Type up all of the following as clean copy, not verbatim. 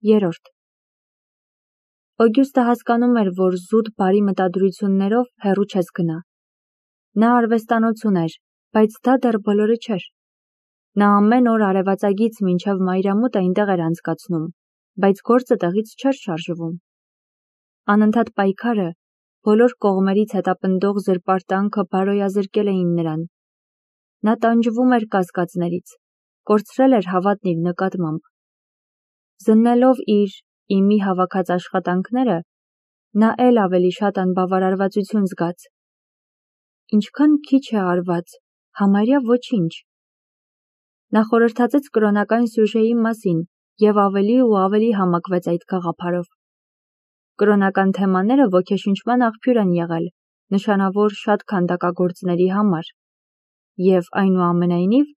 3. Օգյուստը հասկանում էր, որ զուտ բարի մտադրություններով հեռու չես գնա։ Նա արվեստանոց ուներ, բայց դա դեռ բոլորը չէր։ Նա ամեն օր արևածագից մինչև մայրամուտ այնտեղ էր անցկացնում, բայց գործը տեղից չէր շարժվում։ Անընդհատ պայքարը, բոլոր կողմերից հետապնդող զրպարտանքը բարոյազրկել էին նրան։ Նա տանջվում էր կասկածներից, կորցրել էր հավատն իր նկատմամբ։ Զննելով իր իմի հավաքած աշխատանքները, նա էլ ավելի շատ անբավարարվածություն զգաց։ Ինչքան քիչ է արված, համարյա ոչինչ։ Նա խորհրդածեց կրոնական սյուժեի մասին և ավելի ու ավելի համակվեց այդ գաղափարով։ Կրոնական թեմաները ոգեշնչման աղբյուր են եղել նշանավոր շատ քանդակագործների համար, և այնուամենայնիվ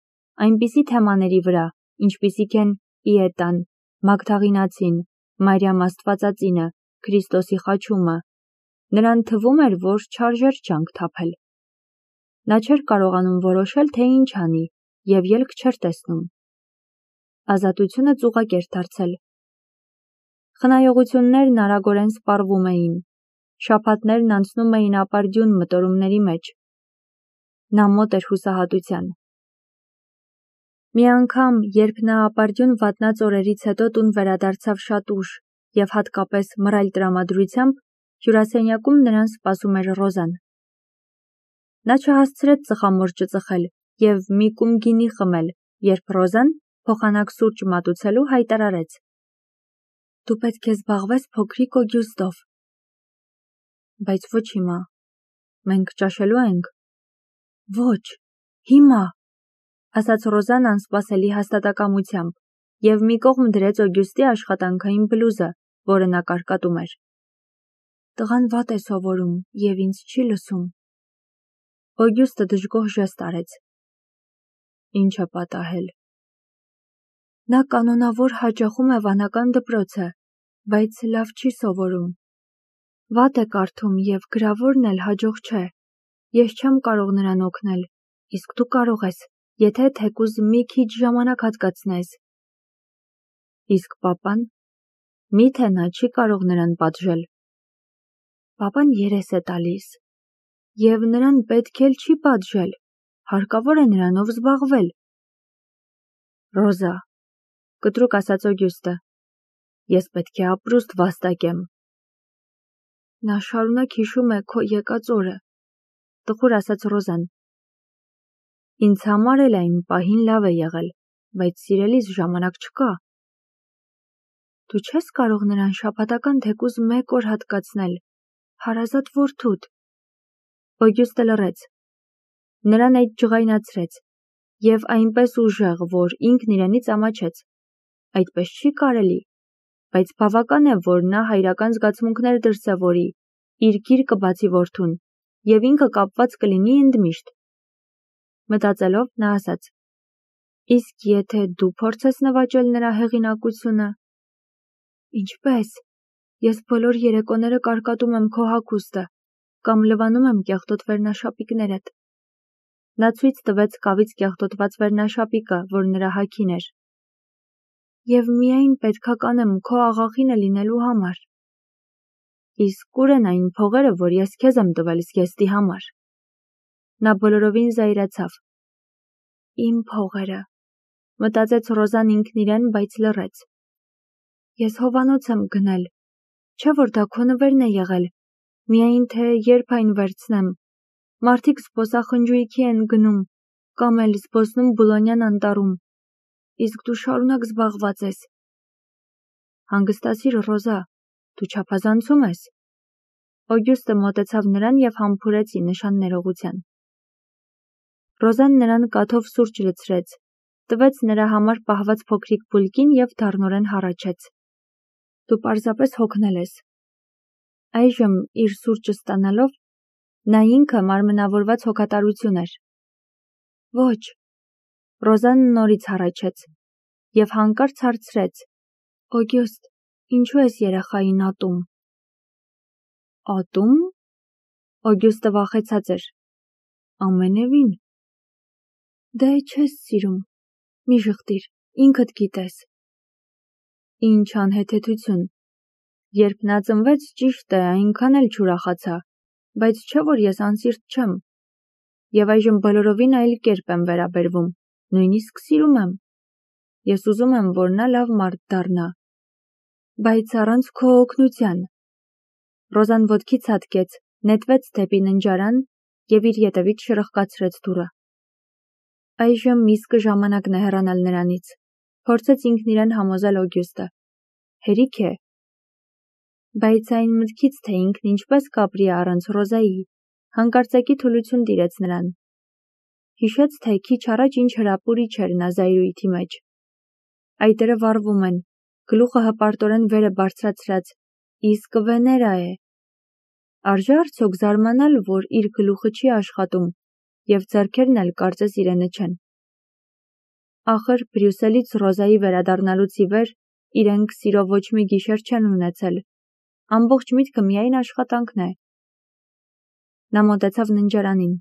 այնպիսի թեմաների վրա, ինչպիսիք են Պիետան, Մագդաղինացին, Մարիամ Աստվածածինը, Քրիստոսի խաչումը, նրան թվում էր, որ չարժեր ջանք թափել։ Նա չէր կարողանում որոշել, թե ինչ անի, և ելք չէր տեսնում։ Ազատությունը ծուղակ էր դարձել։ Խնայողություններն արագորեն սպառվում էին, շաբաթներն անցնում էին ապարդյուն մտորումների մեջ։ Նա մոտ էր հուսահատության։ Մի անգամ, երբ նա ապարդյուն վատնած օրերից հետո տուն վերադարձավ շատ ուշ և հատկապես մռայլ տրամադրությամբ, հյուրասենյակում նրան սպասում էր Ռոզան։ Նա չհասցրեց ծխամորճը ծխել և մի կում գինի խմել, երբ Ռոզան, փոխանակ սուրճ մատուցելու, հայտարարեց. «Դու պետք է զբաղվես փոքրիկ Օգյուստով»։ Բայց ոչ հիմա։ Մենք ճաշելու ենք։ Ոչ, հիմա, ասաց Ռոզան անսպասելի հաստատակամությամբ և մի կողմ դրեց Օգյուստի աշխատանքային բլուզը, որը նա կարկատում էր։ Տղան վատ է սովորում և ինձ չի լսում։ Օգյուստը դժգոհ ժեստ արեց։ Ինչ է պատահել։ Նա կանոնավոր հաճախում է վանական դպրոցը, բայց լավ չի սովորում։ Վատ է կարդում և գրավորն էլ հաջող չէ։ Ես չեմ կարող նրան օգնել, իսկ դու կարող ես, եթե թեկուզ մի քիչ ժամանակ հատկացնես։ Իսկ պապան, միթե նա չի կարող նրան պատժել։ Պապան երես է տալիս։ Եվ նրան պետք էլ չի պատժել, հարկավոր է նրանով զբաղվել։ Ռոզա, կտրուկ ասաց Օգյուստը, ես պետք է ապրուստ վաստակեմ։ Նա շարունակ հիշում է քո եկած օրը, տխուր ասաց Ռոզան։ Ինձ համար էլ այն պահին լավ է եղել, բայց սիրելիս ժամանակ չկա։ Դու չես կարող նրան շաբաթական թեկուզ 1 օր հատկացնել, հարազատ որդուդ։ Օգյուստը լռեց։ Նրան այդ ջղայնացրեց և այնպես ուժեղ, որ ինքն իրենից ամաչեց։ Այդպես չի կարելի, բայց բավական է, որ նա հայրական զգացմունքներ դրսևորի, իր գիրկը բացի որդուն, և ինքը կապված կլինի ընդմիշտ։ Մտածելով, նա ասաց. Իսկ եթե դու փորձես նվաճել նրա հեղինակությունը։ Ինչպես։ Ես բոլոր երեկոները կարկատում եմ քո հագուստը կամ լվանում եմ կեղտոտ վերնաշապիկներդ։ Նա ցույց տվեց կավից կեղտոտված վերնաշապիկը, որ նրա հագին էր։ Եվ միայն պետքա կանեմ քո աղախինը լինելու համար։ Իսկ ուր են այն փողերը, որ ես քեզ եմ տվել զգեստի համար։ Նա բոլորովին զայրացավ։ Իմ փողերը, մտածեց Ռոզան ինքն իրեն, բայց լռեց։ Ես հովանոց եմ գնել, չէ՞ որ դա քո նվերն է եղել, միայն թե երբ այն վերցնեմ։ Մարդիկ զբոսախնջույքի են գնում, կամ էլ զբոսնում Բուլոնյան անտառում, իսկ դու շարունակ զբաղված ես։ Հանգստացիր, Ռոզա, դու չափազանցում ես։ Օգյուստը մոտեցավ նրան և համբուրեց ի նշան ներողության։ Ռոզան նրան կաթով սուրճ լցրեց, տվեց նրա համար պահված փոքրիկ բուլկին և դառնորեն հառաչեց։ Դու պարզապես հոգնել ես։ Այժմ իր սուրճը ստանալով, նա ինքը մարմնավորված հոգատարություն էր։ Ոչ։ Ռոզան նորից հառաչեց և հանկարծ հարցրեց. Օգյուստ, ինչու ես երեխային ատում։ Ատում։ Օգյուստը վախեցած էր։ Ամենևին։ Դե չես սիրում։ Մի ժխտիր, ինքդ գիտես։ Ինչ անհեթեթություն։ Երբ նա ծնվեց, ճիշտ է, այնքան էլ չուրախացա, բայց չէ որ ես անսիրտ չեմ։ Եվ այժմ բոլորովին այլ կերպ եմ վերաբերվում, նույնիսկ սիրում եմ։ Ես ուզում եմ, որ նա լավ մարդ դառնա։ Բայց առանց քո օգնության։ Ռոզան ոտքից հատկեց, նետվեց դեպի ննջարան և իր ետևից շրխկացրեց դուռը։ Այժմ իսկը ժամանակն է հեռանալ նրանից, փորձեց ինքն իրեն համոզել Օգյուստը։ Հերիք է։ Բայց այն մտքից, թե ինքն ինչպես կապրի առանց Ռոզայի, հանկարծակի թուլություն տիրեց նրան։ Հիշեց, թե քիչ առաջ ինչ հրապուրիչ էր նա զայրույթի մեջ։ Այտերը վառվում են, գլուխը հպարտորեն վեր է բարձրացրած, իսկ Վեներա է։ Արժե արդյոք զարմանալ, որ իր գլուխը չի աշխատում, և ձեռքերն էլ կարծես իրենը չեն։ Ախր Բրյուսելից Ռոզայի վերադառնալուց ի վեր իրենք սիրո ոչ մի գիշեր չեն ունեցել։ Ամբողջ միտքը միայն աշխատանքն է։ Նա մոտեցավ ննջարանին,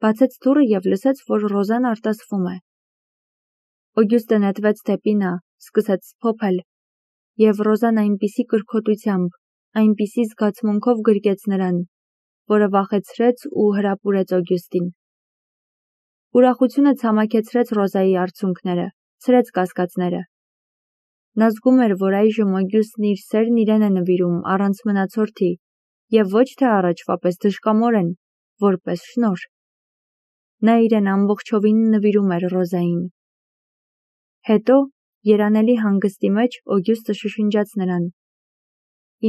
բացեց դուռը և լսեց, որ Ռոզան արտասվում է։ Օգյուստը նետվեց դեպի նա, սկսեց փոփել, և Ռոզան այնպիսի կրքոտությամբ, այնպիսի զգացմունքով գրկեց նրան, որը վախեցրեց ու հրապուրեց Օգյուստին։ Ուրախությունը ցամաքեցրեց Ռոզայի արցունքները, ցրեց կասկածները։ Նա զգում էր, որ այժմ Օգյուստն իր սերն իրեն է նվիրում առանց մնացորդի, և ոչ թե առաջվա պես դժկամորեն, որպես շնորհ։ Նա իրեն ամբողջովին նվիրում էր Ռոզային։ Հետո, երանելի հանգստի մեջ, Օգյուստը շշնջաց նրան.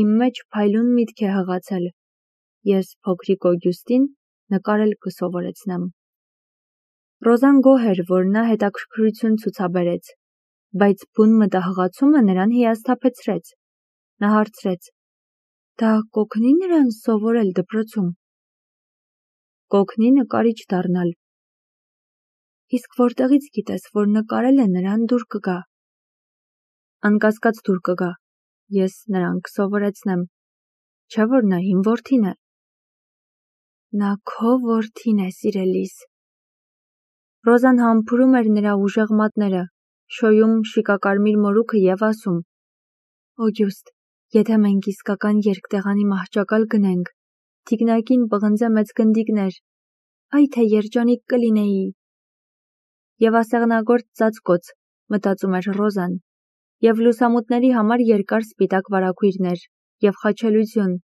«Իմ մեջ փայլուն միտք է հղացել, ես փոքրիկ Օգյուստին նկարել կսովորեցնեմ»։ Ռոզան գոհ էր, որ նա հետաքրքրություն ցուցաբերեց, բայց բուն մտահղացումը նրան հիասթափեցրեց։ Նա հարցրեց. «Դա կօգնի նրան սովորել դպրոցում»։ Կօգնի նկարիչ դառնալ։ Իսկ որտեղից գիտես, որ նկարելը նրան դուր կգա։ Անկասկած դուր կգա։ Ես նրան կսովորեցնեմ։ Չէ՞ որ նա իմ որդին է։ Նա քո որդին է, սիրելիս։ Ռոզան համբուրում էր նրա ուժեղ մատները, շոյում շիկակարմիր մորուքը և ասում. «Օգյուստ, եթե մենք իսկական երկտեղանի մահճակալ գնենք, թիկնակին պղնձե մեծ գնդիկներ, այ թե երջանիկ կլինեի»։ Եվ ասեղնագործ ծածկոց, մտածում էր Ռոզան, և լուսամուտների համար երկար սպիտակ վարագույրներ, և խաչելություն,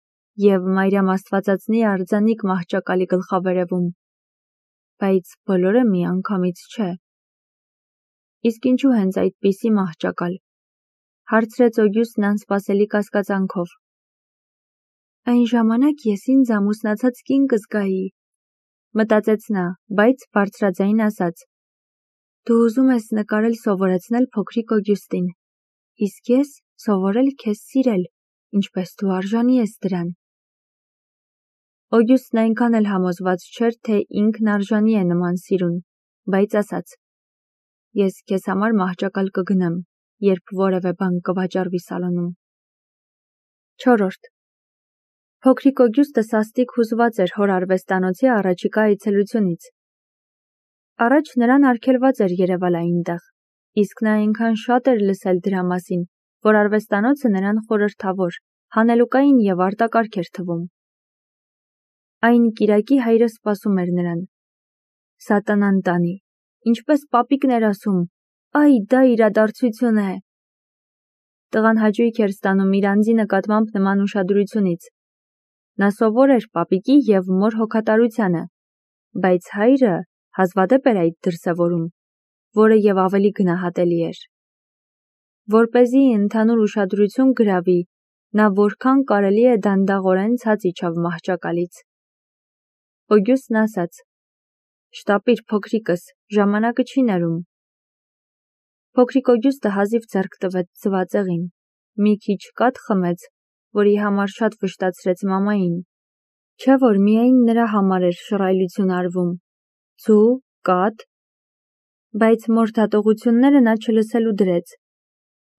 և Մարիամ Աստվածածնի արձանիկ մահճակալի գլխավերևում։ Բայց բոլորը միանգամից չէ։ Իսկ ինչու հենց այդպիսի մահճակալ, հարցրեց Օգյուստն անսպասելի կասկածանքով։ Այն ժամանակ ես ինձ ամուսնացած կին կզգայի, մտածեց նա, բայց բարձրաձայն ասաց. Դու ուզում ես նկարել սովորեցնել փոքրիկ Օգյուստին, իսկ ես սովորել քեզ սիրել, ինչպես դու արժանի ես դրան։ Օգյուստն այնքան էլ համոզված չէր, թե ինքն արժանի է նման սիրուն, բայց ասաց. Ես քեզ համար մահճակալ կգնեմ, երբ որևէ բան կվաճառվի սալոնում։ 4. Փոքրիկ Օգյուստը սաստիկ հուզված էր հոր արվեստանոցի առաջիկա այցելությունից։ Առաջ նրան արգելված էր երևալ այնտեղ, իսկ նա այնքան շատ էր լսել դրա մասին, որ արվեստանոցը նրան խորհրդավոր, հանելուկային և արտակարգ էր թվում։ Այն կիրակի հայրը սպասում էր նրան։ Սատանան տանի, ինչպես պապիկն էր ասում, այ դա իրադարձություն է։ Տղան հաճույք էր ստանում իր անձի նկատմամբ նման ուշադրությունից։ Նա սովոր էր պապիկի և մոր հոգատարությանը, բայց հայրը հազվադեպ էր այդ դրսևորում, որը և ավելի գնահատելի էր։ Որպեսզի ընդհանուր ուշադրություն գրավի, նա որքան կարելի է դանդաղորեն ցած իջավ մահճակալից։ Օգյուստն ասաց. «Շտապիր, փոքրիկս, ժամանակը չի ներում»։ Փոքրիկ Օգյուստը հազիվ ձեռք տվեց ձվածեղին, մի քիչ կաթ խմեց, որի համար շատ վշտացրեց մամային։ Չէ՞ որ միայն նրա համար էր շռայլություն արվում։ Ձու, կաթ։ Բայց մոր դատողությունները նա չլսելու դրեց։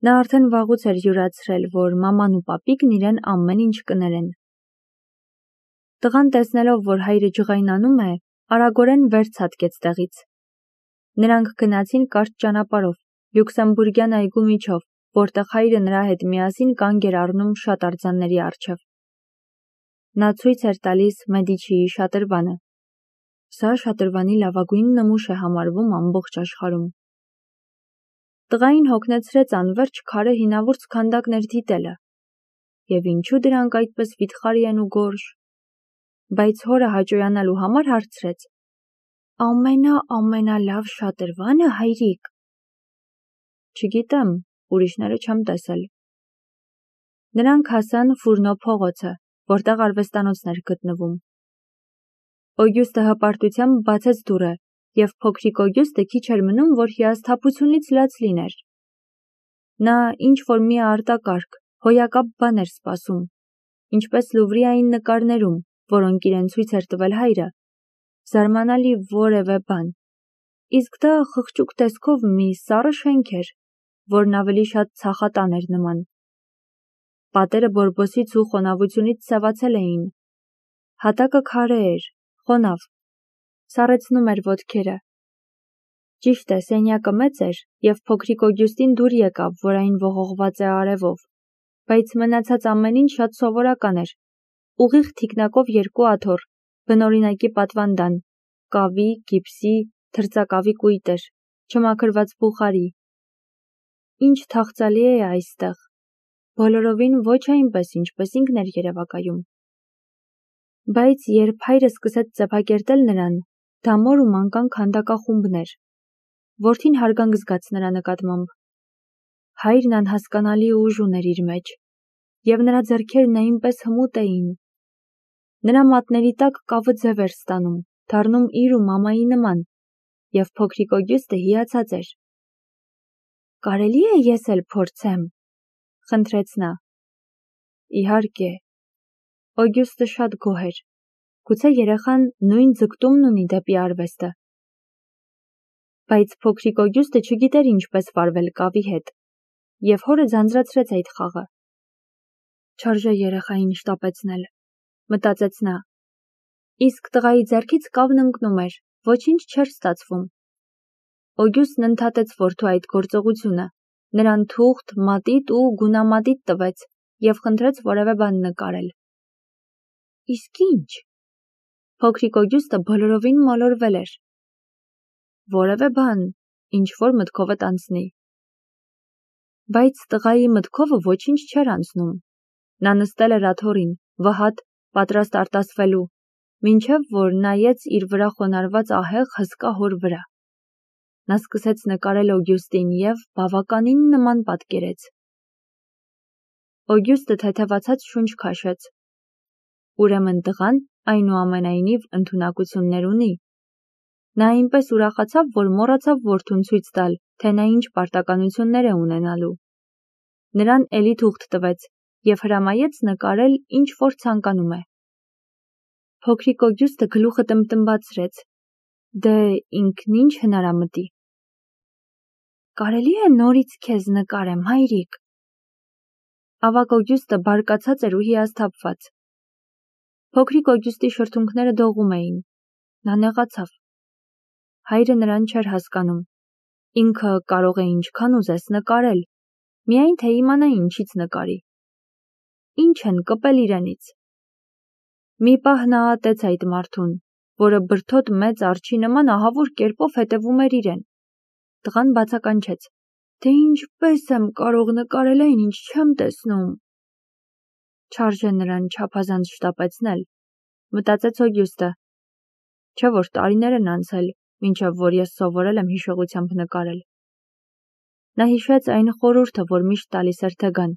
Նա արդեն վաղուց էր յուրացրել, որ մաման ու պապիկն իրեն ամեն ինչ կներեն։ Տղան տեսնելով, որ հայրը ջղայնանում է, արագորեն վեր ցատկեց տեղից։ Նրանք գնացին կարճ ճանապարհով, Լյուքսեմբուրգյան այգու միջով, որտեղ հայրը նրա հետ միասին կանգ էր առնում շատ արձանների առջև։ Նա ցույց էր տալիս Մեդիչիի շատրվանը։ Սա շատրվանի լավագույն նմուշ է համարվում ամբողջ աշխարհում։ Տղային հոգնեցրեց անverջ քարե հինավուրց քանդակներ դիտելը։ Եվ ինչու դրանք այդպես վիթխարի են ու գորշ։ Բայց հորը հաճոյանալու համար հարցրեց. ամենալավ շատրվանը, հայրիկ։ Չգիտեմ, ուրիշները չեմ տեսել։ Նրանք հասան Ֆուրնո փողոցը, որտեղ արվեստանոցն էր գտնվում։ Օգյուստը հպարտությամբ բացեց դուռը, և փոքրիկ Օգյուստը քիչ էր մնում, որ հիասթափությունից լաց լիներ։ Նա ինչ-որ մի արտակարգ, հոյակապ բան էր սպասում, ինչպես Լուվրիային նկարներում, որոնք իրեն ցույց էր տվել հայրը, զարմանալի որևէ բան, իսկ դա խղճուկ տեսքով մի սառը շենք էր, որն ավելի շատ ցախատան էր նման։ Պատերը բորբոսից ու խոնավությունից սևացել էին։ Հատակը քարե էր, խոնավ, սառեցնում էր ոտքերը։ Ճիշտ է, սենյակը մեծ էր, և փոքրիկ Օգյուստին դուր եկավ, որ այն ողողված է արևով, բայց մնացած ամեն ինչ շատ սովորական էր։ Ուղիղ թիկնակով երկու աթոռ, բնօրինակի պատվանդան, կավի, գիպսի, թրծակավի կույտեր, չմաքրված բուխարի։ Ինչ թախծալի է այստեղ, բոլորովին ոչ այնպես, ինչպես ինքն էր երևակայում։ Բայց երբ հայրը սկսեց ծեփակերտել նրան, դա մոր ու մանկան քանդակախումբն էր։ Որդին հարգանք զգաց նրա նկատմամբ։ Հայրն անհասկանալի ուժ ուներ իր մեջ, և նրա ձեռքերն այնպես հմուտ էին։ Նրա մատների տակ կավը ձև էր ստանում, դառնում իր ու մամայի նման, և փոքրիկ Օգյուստը հիացած էր։ «Կարելի է ես էլ փորձեմ», խնդրեց նա։ Իհարկե։ Օգյուստը շատ գոհ էր։ Գուցե երեխան նույն ձգտումն ունի դեպի արվեստը։ Բայց փոքրիկ Օգյուստը չգիտեր ինչպես վարվել կավի հետ, և հորը ձանձրացրեց այդ խաղը։ Չարժե երեխային շտապեցնել, մտածեց նա։ Իսկ տղայի ձեռքից կավն ընկնում էր, ոչինչ չէր ստացվում։ Օգյուստն ընդհատեց որդու այդ գործողությունը, նրան թուղթ, մատիտ ու գունամատիտ տվեց և խնդրեց որևէ բան նկարել։ Իսկ ինչ։ Փոքրիկ Օգյուստը բոլորովին մոլորվել էր։ Որևէ բան, ինչ-որ մտքովդ անցնի։ Բայց տղայի մտքովը ոչինչ չէր անցնում։ Նա նստել էր աթոռին, վհատ, պատրաստ արտասվելու, մինչև որ նայեց իր վրա խոնարհված ահեղ հսկա հոր վրա։ Նա սկսեց նկարել Օգյուստին և բավականին նման պատկերեց։ Օգյուստը թեթևացած շունչ քաշեց։ Ուրեմն տղան այնուամենայնիվ ընդունակություններ ունի։ Նա այնպես ուրախացավ, որ մոռացավ որդուն ցույց տալ, թե նա ինչ պարտականություններ է ունենալու։ Նրան էլի թուղթ տվեց և հրամայեց նկարել ինչ որ ցանկանում է։ Փոքրիկ Օգյուստը գլուխը տմբտմբացրեց։ Դե ինքն ինչ հնարամտի։ Կարելի է նորից քեզ նկարեմ, հայրիկ։ Ավագ Օգյուստը բարկացած էր ու հիասթափված։ Փոքրիկ Օգյուստի շրթունքները դողում էին։ Նա նեղացավ։ Հայրը նրան չէր հասկանում։ Ինքը կարող է ինչքան ուզես նկարել, միայն թե իմանա ինչից նկարի։ Ինչ են կպել իրենից։ Մի պահ նա ատեց այդ մարդուն, որը բրդոտ մեծ արջի նման ահավոր կերպով հետևում էր իրեն։ Տղան բացականչեց. Դե ինչպես եմ կարող նկարել այն, ինչ չեմ տեսնում։ Չարժե նրան չափազանց շտապեցնել, մտածեց Օգյուստը։ Չէ որ տարիներ են անցել, մինչև որ ես սովորել եմ հիշողությամբ նկարել։ Նա հիշեց այն խորհուրդը, որ միշտ տալիս էր Թեգան։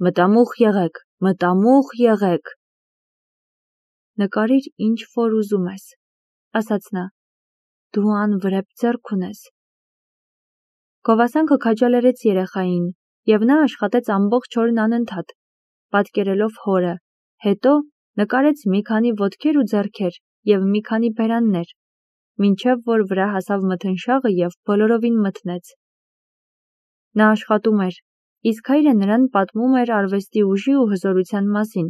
Մտամուխ եղեք, մտամուխ եղեք։ Նկարիր ինչ որ ուզում ես, ասաց նա։ Դու անվրեպ ձեռք ունես։ Գովասանքը քաջալերեց երեխային, և նա աշխատեց ամբողջ օրն անընդհատ, պատկերելով հորը, հետո նկարեց մի քանի ոտքեր ու ձեռքեր և մի քանի բերաններ, մինչև որ վրա հասավ մթնշաղը և բոլորովին մթնեց։ Նա աշխատում էր, իսկ հայրը նրան պատմում էր արվեստի ուժի ու հզորության մասին,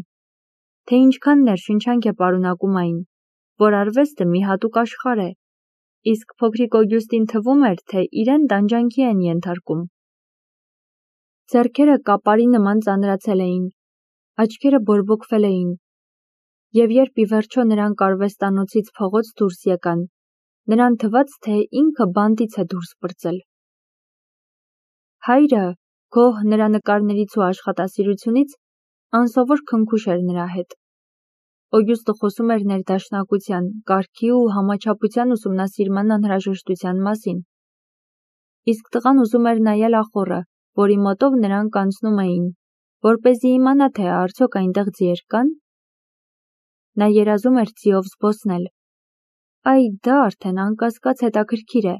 թե ինչքան ներշնչանք է պարունակում այն, որ արվեստը մի հատուկ աշխարհ է, իսկ փոքրիկ Օգյուստին թվում էր, թե իրեն տանջանքի են ենթարկում։ Ձեռքերը կապարի նման ծանրացել էին, աչքերը բորբոքվել էին, և երբ ի վերջո նրանք արվեստանոցից փողոց դուրս եկան, նրան թվաց, թե ինքը բանտից է դուրս պրծել։ Հայրը, գոհ նրա նկարներից ու աշխատասիրությունից, անսովոր քնքուշ էր նրա հետ։ Օգյուստը խոսում էր ներդաշնակության, կարգի ու համաչափության ուսումնասիրման անհրաժեշտության մասին։ Իսկ տղան ուզում էր նայել ախոռը, որի մոտով նրանք անցնում էին, որպեսզի իմանա, թե արդյոք այնտեղ ձիեր կան։ Նա երազում էր ձիով զբոսնել։ Այ դա արդեն անկասկած հետաքրքիր է։